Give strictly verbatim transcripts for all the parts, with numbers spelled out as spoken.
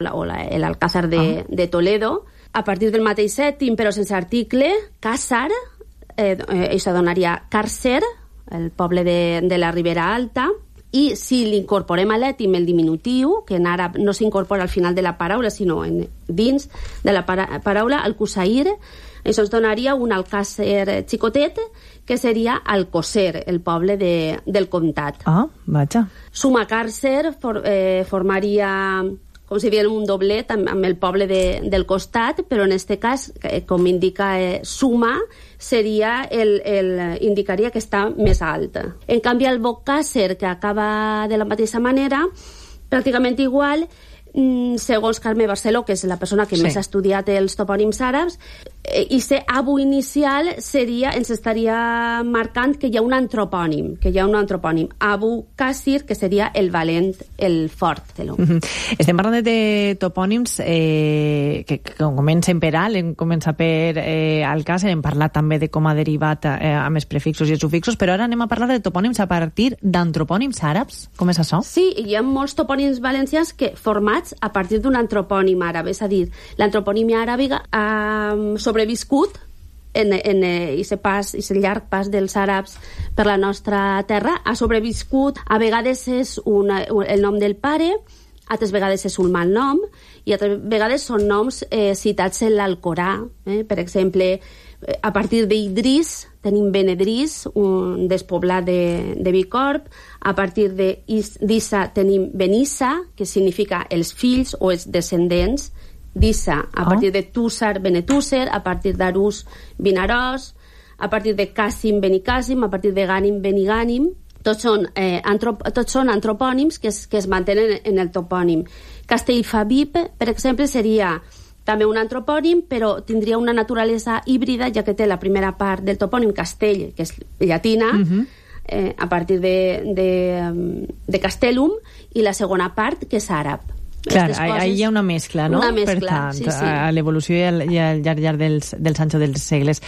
o l'Alcázar de, ah. de Toledo. A partir del mateix sèptim, però sense article, Càsar, eh, eh, això donaria Càrcer, el poble de, de la Ribera Alta, i si l'incorporem a l'ètim el diminutiu, que en àrab no s'incorpora al final de la paraula, sinó en, dins de la para, paraula, Alcusair, això ens donaria un Alcàsser xicotet, que seria Alcocer, el poble de, del comtat. Ah, vaja. Suma Càrcer for, eh, formaria, com si diguem, un doblet amb, amb el poble de, del costat, però en aquest cas, eh, com indica eh, Suma, seria el, el, indicaria que està més alt. En canvi, el Bocàsser, que acaba de la mateixa manera, pràcticament igual, segons Carme Barceló, que és la persona que sí. més ha estudiat els topònims àrabs, i ser abu inicial seria, ens estaria marcant que hi ha un antropònim, que hi ha un antropònim, Abu Qasir, que seria el valent, el fort. De mm-hmm. Estem parlant de topònims eh, que, que comencen per alt, comença per eh, Alcàsser, hem parlat també de com ha derivat eh, amb els prefixos i els sufixos, però ara anem a parlar de topònims a partir d'antropònims àrabs. Com és això? Sí, hi ha molts topònims valencians que formats a partir d'un antropònim àrab, és a dir, l'antroponímia aràbiga ha sobreviscut en, en aquest pas, aquest llarg pas dels àrabs per la nostra terra, ha sobreviscut, a vegades és una, el nom del pare, altres vegades és un mal nom, i altres vegades són noms eh, citats en l'Alcorà. Eh? Per exemple, a partir d'Idris tenim Benedris, un despoblat de, de Bicorb. A partir d'Issa tenim Benissa, que significa els fills o els descendents. D'Issa, a oh. partir de Túsar, Benetúser, a partir d'Arús, Vinaròs, a partir de Càssim, Benicàssim, a partir de Gànim, Benigànim. Tots són, eh, antrop, tots són antropònims que es, que es mantenen en el topònim. Castellfabib, per exemple, seria també un antropònim, però tindria una naturalesa híbrida, ja que té la primera part del topònim Castell, que és llatina, uh-huh. eh, a partir de, de, de Castellum, i la segona part, que és àrab. Clar, ahí hi ha una mescla, no? Una mescla, per tant, sí, sí. a l'evolució i al, i al llarg, llarg dels, dels anys o dels segles.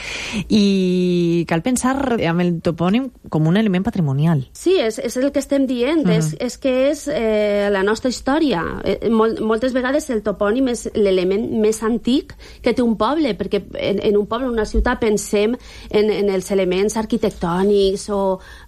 I cal pensar amb el topònim com un element patrimonial. Sí, és, és el que estem dient, uh-huh. és, és que és eh, la nostra història. Eh, mol, moltes vegades el topònim és l'element més antic que té un poble, perquè en, en un poble, en una ciutat, pensem en, en els elements arquitectònics o,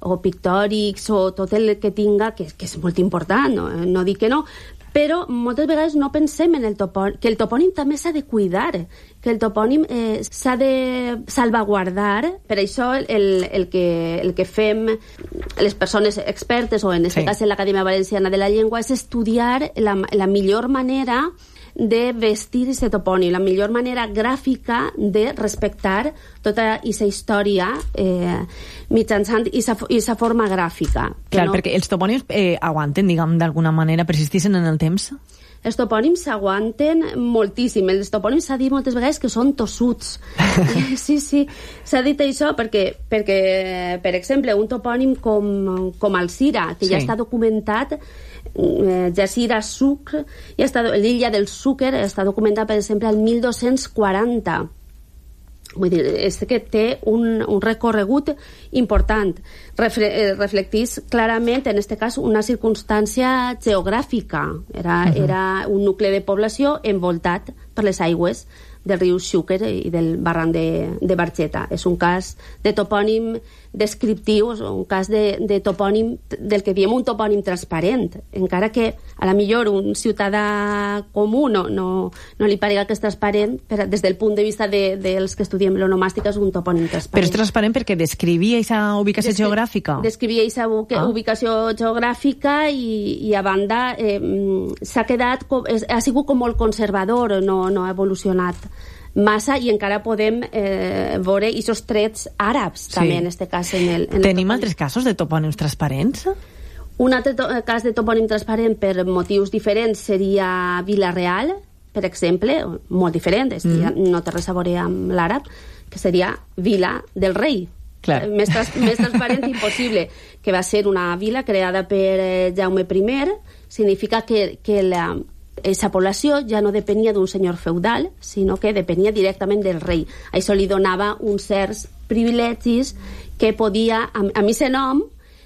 o pictòrics o tot el que tinga, que, que és molt important, no, no dic que no, però moltes vegades no pensem en el topònim, que el topònim també s'ha de cuidar, que el topònim eh, s'ha de salvaguardar. Per això el, el, que, el que fem les persones expertes, o en aquest sí. cas en l'Acadèmia Valenciana de la Llengua, és estudiar la, la millor manera de vestir aquest topònim, la millor manera gràfica de respectar tota aquesta història eh, mitjançant aquesta forma gràfica. Clar, no... perquè els topònims eh, aguanten, diguem, d'alguna manera, persisteixen en el temps? Els topònims s'aguanten moltíssim. Els topònims s'ha dit moltes vegades que són tossuts. Sí, sí, s'ha dit això perquè, perquè per exemple, un topònim com, com Alzira, que sí. ja està documentat, eh, Jazira Sucre, ja està, l'illa del Sucre està documentat, per exemple, al mil dos-cents quaranta. Vull dir, és que té un, un recorregut important. Refle, eh, reflectís clarament, en aquest cas, una circumstància geogràfica. Era, uh-huh. era un nucli de població envoltat per les aigües del riu Xúquer i del barranc de, de Barxeta. És un cas de topònim descriptiu, un cas de, de topònim, del que diem un topònim transparent, encara que a la millor un ciutadà comú no, no, no li parega que és transparent, però des del punt de vista de, dels que estudiem l'onomàstica és un topònim transparent. Però és transparent perquè descrivia aquesta ubicació Descri geogràfica? Descrivia aquesta ah. ubicació geogràfica i, i a banda eh, s'ha quedat, ha sigut com molt conservador, no, no ha evolucionat massa, i encara podem eh, veure aquests trets àrabs sí. també en aquest cas. En el, en Tenim el altres casos de topònims transparents? Un altre cas de topònim transparent per motius diferents seria Vila-real, per exemple, molt diferent, és que mm. ja no té res a veure amb l'àrab, que seria Vila del Rei. Clar. Més, trans, més transparent impossible, que va ser una vila creada per eh, Jaume I. Significa que, que la aquesta població ja no depenia d'un senyor feudal, sinó que depenia directament del rei. Això li donava uns certs privilegis que podia, amb aquest nom,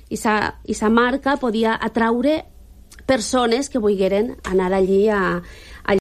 aquesta marca, podia atraure persones que volgueren anar allí a,